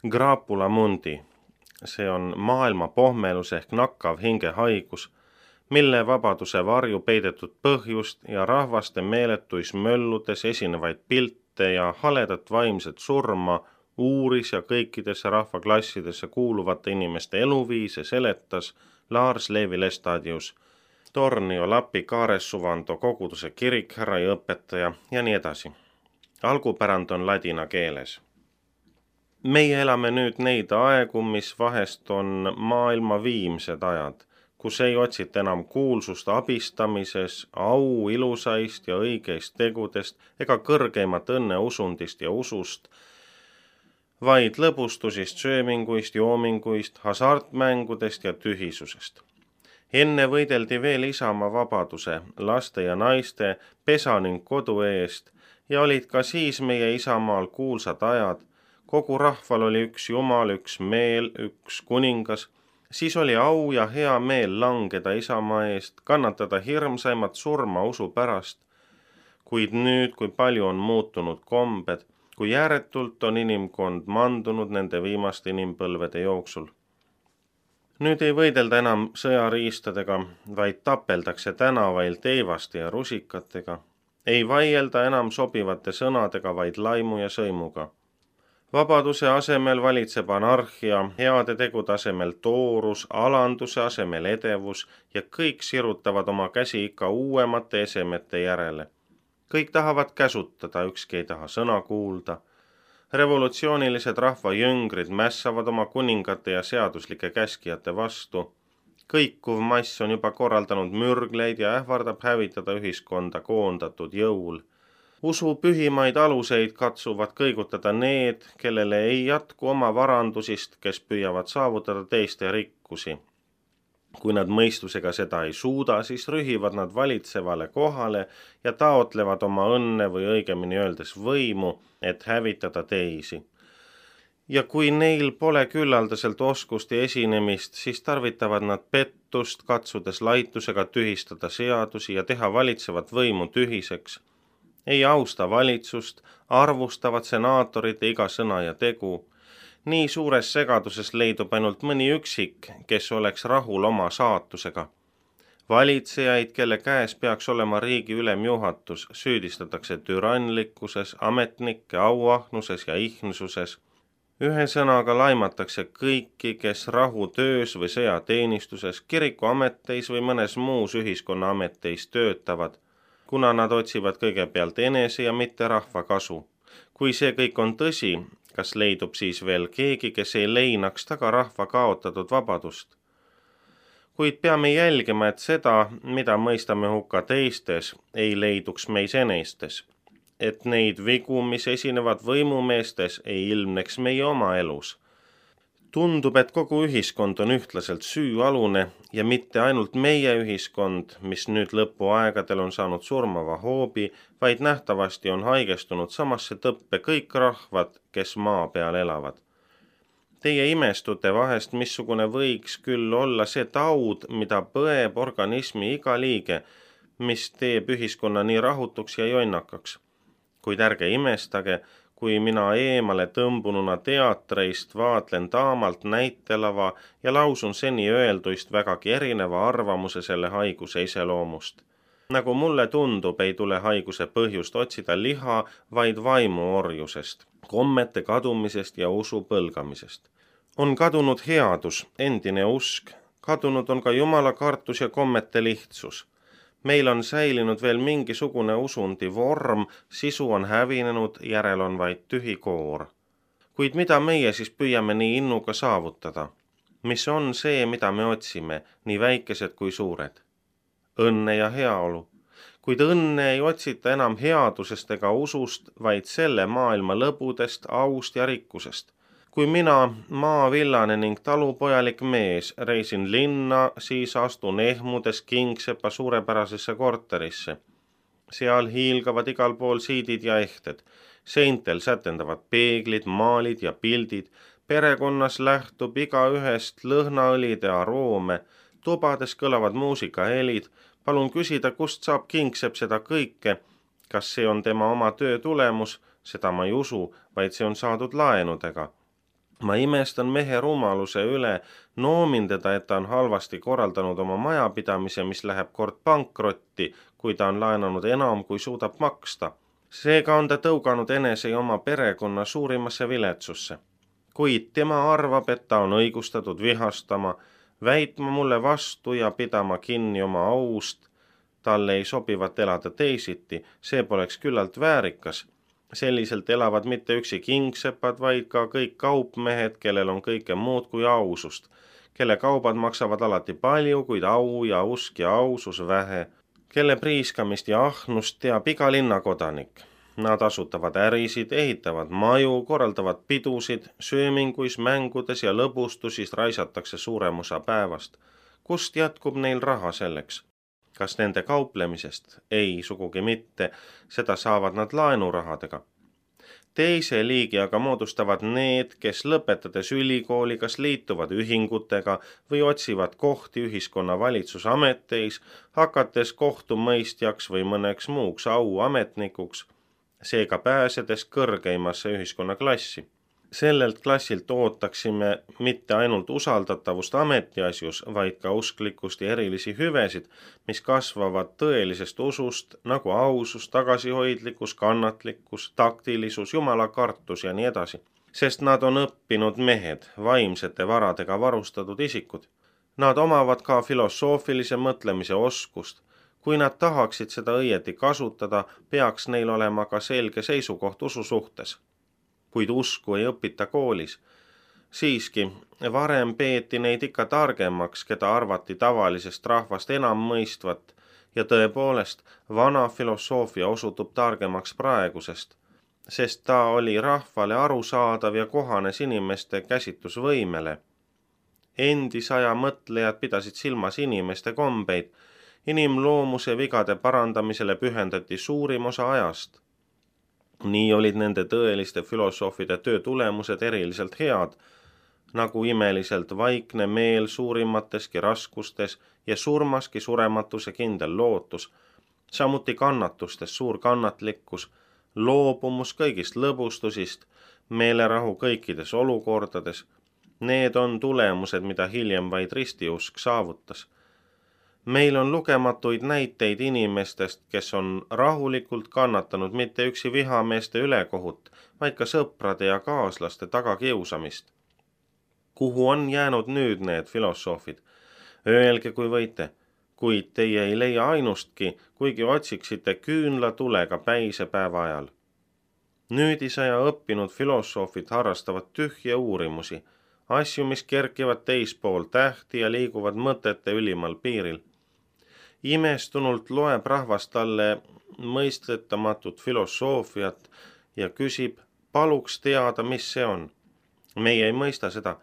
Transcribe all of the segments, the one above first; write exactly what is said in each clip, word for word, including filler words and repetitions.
Grapula mundi. See on maailma pohmelus ehk nakkav hingehaigus, mille vabaduse varju peidetud põhjust ja rahvaste meeletuis mölludes esinevaid pilte ja haledat vaimset surma uuris ja kõikidesse rahvaklassidesse kuuluvate inimeste eluviise seletas Lars Levi Lestadius, Tornio Lapi Kaaresuvando koguduse kirikherra ja õpetaja ja nii edasi. Algupärand on ladina keeles. Meie elame nüüd neid aegu, mis vahest on maailma viimsed ajad, kus ei otsita enam kuulsust abistamises, au ilusaist ja õigeist tegudest ega kõrgeimat õnne usundist ja usust, vaid lõbustusist, sööminguist, joominguist, hasartmängudest ja tühisusest. Enne võideldi veel isamaa vabaduse, laste ja naiste, pesa ning kodu eest ja olid ka siis meie isamaal kuulsad ajad. Kogu rahval oli üks Jumal, üks meel, üks kuningas, siis oli au ja hea meel langeda isamaa eest, kannatada hirmsaimat surma usu pärast. Kuid nüüd, kui palju on muutunud kombed, kui järjetult on inimkond mandunud nende viimaste inimpõlvede jooksul. Nüüd ei võidelda enam sõjariistadega, vaid tapeldakse tänavail teivaste ja rusikatega. Ei vaielda enam sobivate sõnadega, vaid laimu ja sõimuga. Vabaduse asemel valitseb anarhia, heade tegude asemel toorus, alanduse asemel edevus ja kõik sirutavad oma käsi ikka uuemate esemete järele. Kõik tahavad käsutada, ükski ei taha sõna kuulda. Revolutsioonilised rahvajõngrid mässavad oma kuningate ja seaduslike käskijate vastu. Kõikuv mass on juba korraldanud mürgleid ja ähvardab hävitada ühiskonda koondatud jõul. Usu pühimaid aluseid katsuvad kõigutada need, kellele ei jätku oma varandusist, kes püüavad saavutada teiste rikkusi. Kui nad mõistusega seda ei suuda, siis rühivad nad valitsevale kohale ja taotlevad oma õnne või õigemini öeldes võimu, et hävitada teisi. Ja kui neil pole küllaldaselt oskust ja esinemist, siis tarvitavad nad pettust, katsudes laitusega tühistada seadusi ja teha valitsevat võimu tühiseks. Ei austa valitsust, arvustavad senaatorite iga sõna ja tegu. Nii suures segaduses leidub ainult mõni üksik, kes oleks rahul oma saatusega. Valitsejaid, kelle käes peaks olema riigi ülemjuhatus, süüdistatakse türanlikkuses, ametnike auahnuses ja ihnususes. Ühe sõnaga laimatakse kõiki, kes rahutöös või sõjateenistuses, kirikuameteis või mõnes muus ühiskonna ameteis töötavad, kuna nad otsivad kõigepealt enese ja mitte rahva kasu. Kui see kõik on tõsi, kas leidub siis veel keegi, kes ei leinaks taga rahva kaotatud vabadust? Kuid peame jälgima, et seda, mida mõistame hukka teistes, ei leiduks meis enestes. Et neid vigu, mis esinevad võimumeestes, ei ilmneks meie oma elus. Tundub, et kogu ühiskond on ühtlaselt süüalune ja mitte ainult meie ühiskond, mis nüüd lõpuaegadel on saanud surmava hoobi, vaid nähtavasti on haigestunud samasse tõppe kõik rahvad, kes maa peal elavad. Teie imestute vahest, missugune võiks küll olla see taud, mida põeb organismi iga liige, mis teeb ühiskonna nii rahutuks ja jonnakaks. Kuid ärge imestage, kui mina eemale tõmbununa teatreist vaatlen taamalt näitelava ja lausun seni öelduist vägagi erineva arvamuse selle haiguse iseloomust. Nagu mulle tundub, ei tule haiguse põhjust otsida liha, vaid vaimu orjusest, kommete kadumisest ja usu põlgamisest. On kadunud headus, endine usk, kadunud on ka Jumala kartus ja kommete lihtsus. Meil on säilinud veel mingisugune usundi vorm, sisu on hävinenud, järel on vaid tühi koor. Kuid mida meie siis püüame nii innuga saavutada? Mis on see, mida me otsime, nii väikesed kui suured? Õnne ja heaolu. Kuid õnne ei otsita enam headusest ega usust, vaid selle maailma lõbudest, aust ja rikkusest. Kui mina, maavillane ning talupojalik mees, reisin linna, siis astun ehmudes Kingsepa suurepärasesse korterisse. Seal hiilgavad igal pool siidid ja ehted. Seintel sätendavad peeglid, maalid ja pildid. Perekonnas lähtub iga ühest lõhnaõlide aroome. Tubades kõlavad muusikahelid. Palun küsida, kust saab Kingsepp seda kõike. Kas see on tema oma töö tulemus? Seda ma ei usu, vaid see on saadud laenudega. Ma imestan mehe rumaluse üle, noomin teda, et ta on halvasti korraldanud oma majapidamise, mis läheb kord pankrotti, kui ta on laenanud enam, kui suudab maksta. Seega on ta tõuganud enese ja oma perekonna suurimasse viletsusse. Kuid tema arvab, et ta on õigustatud vihastama, väitma mulle vastu ja pidama kinni oma aust. Talle ei sobivat elada teisiti, see poleks küllalt väärikas. Selliselt elavad mitte üksi kingsepad, vaid ka kõik kaupmehed, kellel on kõike muud kui ausust, kelle kaubad maksavad alati palju, kuid au ja usk ja ausus vähe, kelle priiskamist ja ahnust teab iga linnakodanik. Nad asutavad ärisid, ehitavad maju, korraldavad pidusid, sööminguis, mängudes ja lõbustusis raisatakse suurem osa päevast. Kust jätkub neil raha selleks? Kas nende kauplemisest? Ei, sugugi mitte, seda saavad nad laenurahadega. Teise liigi aga moodustavad need, kes lõpetades ülikooli kas liituvad ühingutega või otsivad kohti ühiskonna valitsusameteis, hakates kohtumõistjaks või mõneks muuks auametnikuks, seega pääsedes kõrgeimasse ühiskonnaklassi. Sellelt klassilt ootaksime mitte ainult usaldatavust ametiasjus, vaid ka usklikkust ja erilisi hüvesid, mis kasvavad tõelisest usust, nagu ausus, tagasihoidlikkus, kannatlikkus, taktilisus, jumalakartus ja nii edasi. Sest nad on õppinud mehed, vaimsete varadega varustatud isikud. Nad omavad ka filosoofilise mõtlemise oskust. Kui nad tahaksid seda õieti kasutada, peaks neil olema ka selge seisukoht usu suhtes. Kuid usku ei õpita koolis. Siiski, varem peeti neid ikka targemaks, keda arvati tavalisest rahvast enam mõistvat, ja tõepoolest, vana filosoofia osutub targemaks praegusest, sest ta oli rahvale arusaadav ja kohanes inimeste käsitusvõimele. Endisaja mõtlejad pidasid silmas inimeste kombeid, inimloomuse vigade parandamisele pühendati suurim osa ajast. Nii olid nende tõeliste filosoofide töö tulemused eriliselt head, nagu imeliselt vaikne meel suurimateski raskustes ja surmaski surematuse kindel lootus, samuti kannatustes suur kannatlikkus, loobumus kõigist lõbustusist, meelerahu kõikides olukordades. Need on tulemused, mida hiljem vaid ristiusk saavutas. Meil on lugematuid näiteid inimestest, kes on rahulikult kannatanud mitte üksi vihameeste ülekohut, vaid ka sõprade ja kaaslaste tagakiusamist. Kuhu on jäänud nüüd need filosoofid? Öelge, kui võite, kuid teie ei leia ainustki, kuigi otsiksite küünlatulega päise päeva ajal. Nüüdisaja õppinud filosoofid harrastavad tühje uurimusi, asju, mis kerkivad teispool tähti ja liiguvad mõtete ülimal piiril. Imestunult loeb rahvas talle mõistetamatut filosoofiat ja küsib, paluks teada, mis see on. Meie ei mõista seda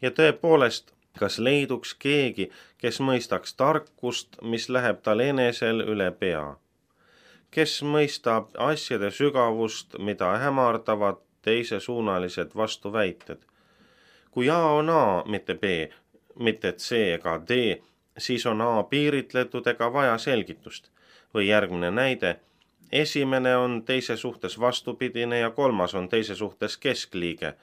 ja tõepoolest, kas leiduks keegi, kes mõistaks tarkust, mis läheb tal enesel üle pea. Kes mõistab asjade sügavust, mida hämardavad teisesuunalised vastuväited. Kui A on A, mitte B, mitte C ega D, siis on A piiritletud ega vaja selgitust. Või järgmine näide, esimene on teise suhtes vastupidine ja kolmas on teise suhtes keskliige.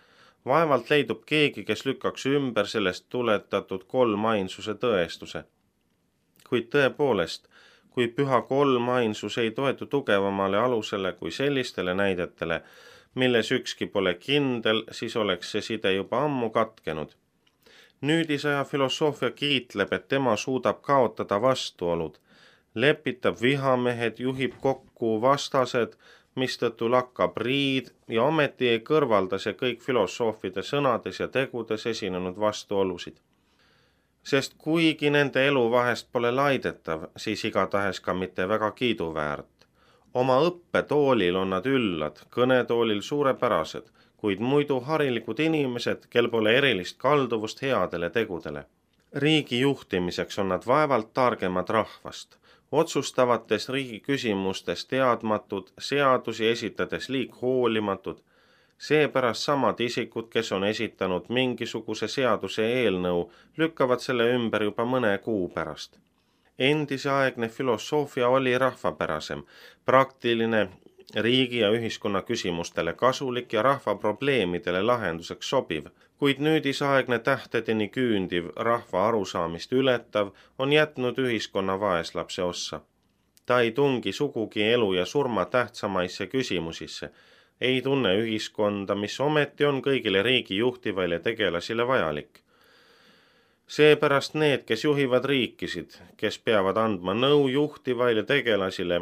Vaevalt leidub keegi, kes lükkaks ümber sellest tuletatud kolmainsuse tõestuse. Kuid tõepoolest, kui püha kolmainsus ei toetu tugevamale alusele kui sellistele näidetele, milles ükski pole kindel, siis oleks see side juba ammu katkenud. Nüüdisaja filosoofia kiitleb, et tema suudab kaotada vastuolud, lepitab vihamehed, juhib kokku vastased, mistõttu lakkab riid ja ometi ei kõrvalda see kõik filosoofide sõnades ja tegudes esinenud vastuolusid. Sest kuigi nende elu vahest pole laidetav, siis igatahes ka mitte väga kiiduväärt. Oma õppetoolil on nad üllad, kõnetoolil suurepärased, kuid muidu harilikud inimesed, kel pole erilist kalduvust headele tegudele. Riigi juhtimiseks on nad vaevalt targemad rahvast, otsustavates riigi küsimustes teadmatud, seadusi esitades liig hoolimatud, seepärast samad isikud, kes on esitanud mingisuguse seaduse eelnõu, lükkavad selle ümber juba mõne kuu pärast. Endiseaegne filosoofia oli rahvapärasem, praktiline riigi ja ühiskonna küsimustele kasulik ja rahva probleemidele lahenduseks sobiv, kuid nüüdisaegne tähtedeni küündiv rahva arusaamist ületav on jätnud ühiskonna vaeslapse ossa. Ta ei tungi sugugi elu ja surma tähtsamaisse küsimusisse, ei tunne ühiskonda, mis ometi on kõigile riigi juhtivaile tegelasile vajalik. Seepärast need, kes juhivad riikisid, kes peavad andma nõu juhtivaile tegelasile,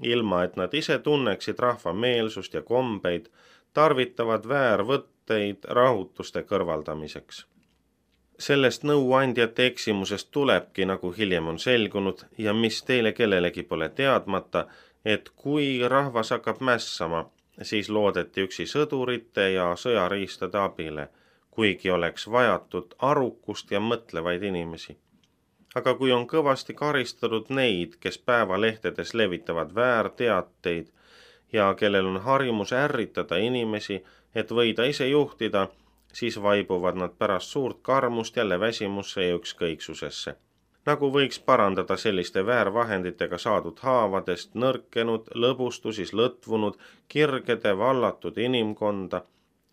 ilma et nad ise tunneksid rahva meelsust ja kombeid, tarvitavad väärvõtteid rahutuste kõrvaldamiseks. Sellest nõuandjate eksimusest tulebki, nagu hiljem on selgunud ja mis teile kellelegi pole teadmata, et kui rahvas hakkab mässama, siis loodeti üksi sõdurite ja sõjariistade abile, kuigi oleks vajatud arukust ja mõtlevaid inimesi. Aga kui on kõvasti karistatud neid, kes päevalehtedes levitavad väärteateid ja kellel on harjumus ärritada inimesi, et võida ise juhtida, siis vaibuvad nad pärast suurt karmust jälle väsimusse ja ükskõiksusesse. Nagu võiks parandada selliste väärvahenditega saadud haavadest nõrkenud, lõbustusis lõtvunud, kirgede vallatud inimkonda,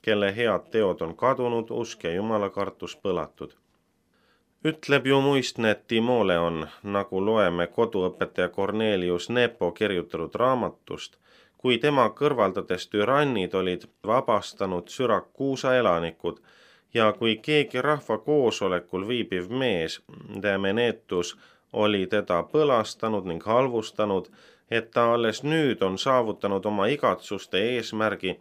kelle head teod on kadunud, usk ja jumalakartus põlatud. Ütleb ju muistne Timoleon, nagu loeme koduõpetaja Cornelius Nepo kirjutatud raamatust, kui tema kõrvaldades türannid olid vabastanud Syrakuusa elanikud ja kui keegi rahva koosolekul viibiv mees, Damenetus, oli teda põlastanud ning halvustanud, et ta alles nüüd on saavutanud oma igatsuste eesmärgi,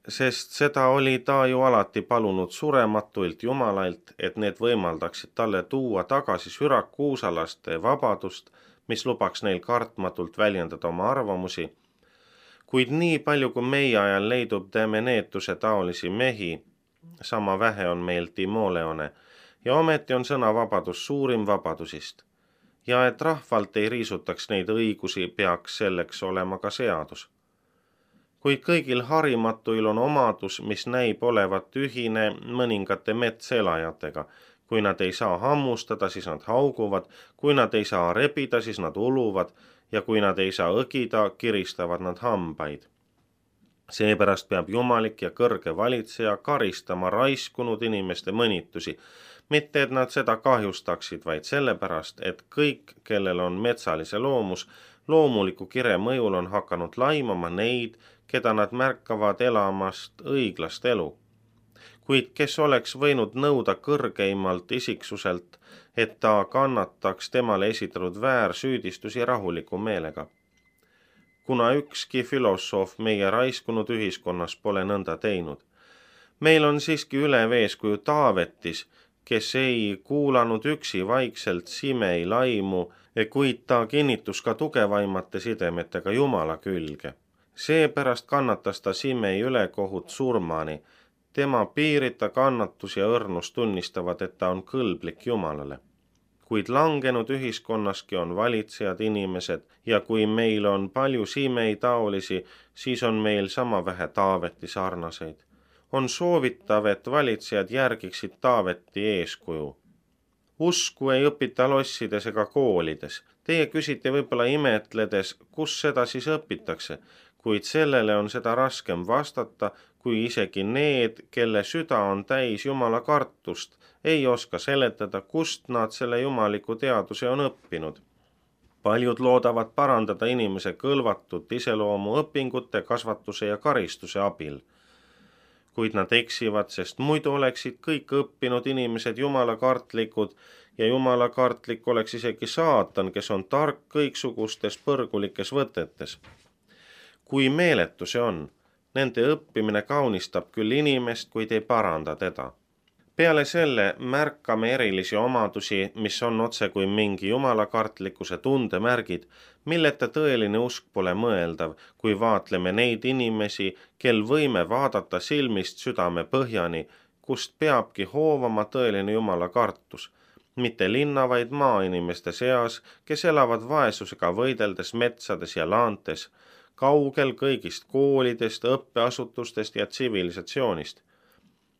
sest seda oli ta ju alati palunud surematuilt Jumalailt, et need võimaldaksid talle tuua tagasi sürakuusalaste vabadust, mis lubaks neil kartmatult väljendada oma arvamusi. Kuid nii palju, kui meie ajal leidub Damenetuse taolisi mehi, sama vähe on meil Timoleone, ja ometi on sõnavabadus suurim vabadusist. Ja et rahvalt ei riisutaks neid õigusi, peaks selleks olema ka seadus. Kuid kõigil harimatuil on omadus, mis näib olevat ühine mõningate metselajatega. Kui nad ei saa hammustada, siis nad hauguvad, kui nad ei saa rebida, siis nad uluvad, ja kui nad ei saa õgida, kiristavad nad hambaid. Seepärast peab jumalik ja kõrge valitseja karistama raiskunud inimeste mõnitusi, mitte et nad seda kahjustaksid, vaid sellepärast, et kõik, kellel on metsalise loomus, loomuliku kire mõjul on hakanud laimama neid, keda nad märkavad elamast õiglast elu. Kuid kes oleks võinud nõuda kõrgeimalt isiksuselt, et ta kannataks temale esitatud väärsüüdistusi rahuliku meelega. Kuna ükski filosoof meie raiskunud ühiskonnas pole nõnda teinud. Meil on siiski ülev eeskuju Taavetis, kes ei kuulanud üksi vaikselt Simei laimu, kuid ta kinnitus ka tugevaimate sidemetega Jumala külge. Seepärast kannatas ta Simei ülekohut surmani. Tema piirita kannatus ja õrnus tunnistavad, et ta on kõlblik Jumalale. Kuid langenud ühiskonnaski on valitsejad inimesed ja kui meil on palju Simei taolisi, siis on meil sama vähe Taaveti sarnaseid. On soovitav, et valitsejad järgiksid Taaveti eeskuju. Usku ei õpita lossides ega koolides. Teie küsite võib-olla imetledes, kus seda siis õpitakse, kuid sellele on seda raskem vastata, kui isegi need, kelle süda on täis Jumala kartust, ei oska seletada, kust nad selle jumaliku teaduse on õppinud. Paljud loodavad parandada inimese kõlvatut iseloomu õpingute, kasvatuse ja karistuse abil. Kuid nad eksivad, sest muidu oleksid kõik õppinud inimesed jumalakartlikud ja jumalakartlik oleks isegi saatan, kes on tark kõiksugustes põrgulikes võtetes. Kui meeletu see on, nende õppimine kaunistab küll inimest, kuid ei paranda teda. Peale selle märkame erilisi omadusi, mis on otse kui mingi jumalakartlikkuse tundemärgid, milleta tõeline usk pole mõeldav, kui vaatleme neid inimesi, kel võime vaadata silmist südame põhjani, kust peabki hoovama tõeline jumalakartus, mitte linna, vaid maainimeste seas, kes elavad vaesusega võideldes metsades ja laantes, kaugel kõigist koolidest, õppeasutustest ja tsivilisatsioonist.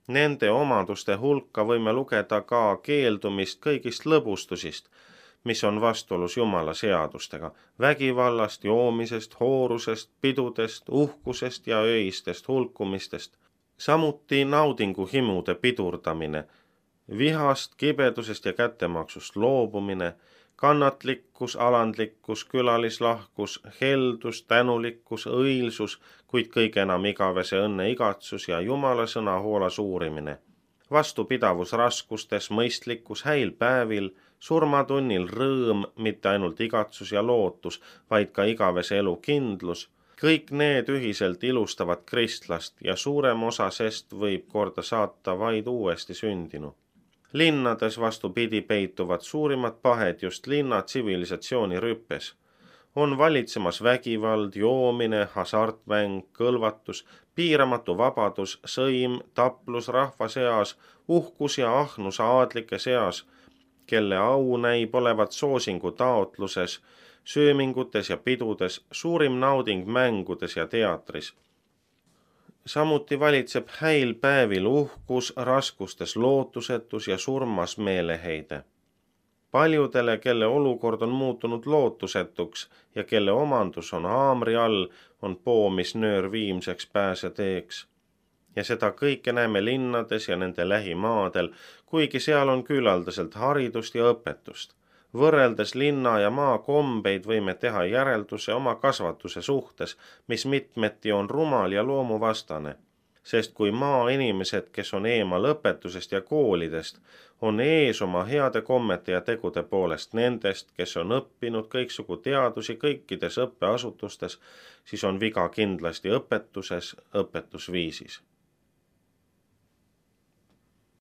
Nende omaduste hulka võime lugeda ka keeldumist kõigist lõbustusist, mis on vastuolus Jumala seadustega, vägivallast, joomisest, hoorusest, pidudest, uhkusest ja öistest hulkumistest, samuti naudinguhimude pidurdamine, vihast, kibedusest ja kättemaksust loobumine, kannatlikkus, alandlikkus, külalislahkus, heldus, tänulikkus, õilsus, kuid kõige enam igavese õnne igatsus ja Jumala sõna hoolas uurimine. Vastupidavus raskustes, mõistlikkus häil päevil, surmatunnil rõõm, mitte ainult igatsus ja lootus, vaid ka igavese elu kindlus. Kõik need ühiselt ilustavad kristlast ja suurem osa sest võib korda saata vaid uuesti sündinu. Linnades vastupidi peituvad suurimad pahed just linna tsivilisatsiooni rüppes. On valitsemas vägivald, joomine, hasartmäng, kõlvatus, piiramatu vabadus, sõim, taplus rahva seas, uhkus ja ahnus aadlike seas, kelle au näib olevat soosingu taotluses, söömingutes ja pidudes, suurim nauding mängudes ja teatris. Samuti valitseb häil päevil uhkus, raskustes lootusetus ja surmas meeleheide. Paljudele, kelle olukord on muutunud lootusetuks ja kelle omandus on haamri all, on poomisnöör viimseks pääseteeks. Ja seda kõike näeme linnades ja nende lähimaadel, kuigi seal on küllaldaselt haridust ja õpetust. Võrreldes linna ja maa kombeid võime teha järelduse oma kasvatuse suhtes, mis mitmeti on rumal ja loomuvastane. Sest kui maa inimesed, kes on eemal õpetusest ja koolidest, on ees oma heade kommete ja tegude poolest nendest, kes on õppinud kõiksugu teadusi kõikides õppeasutustes, siis on viga kindlasti õpetuses, õpetusviisis.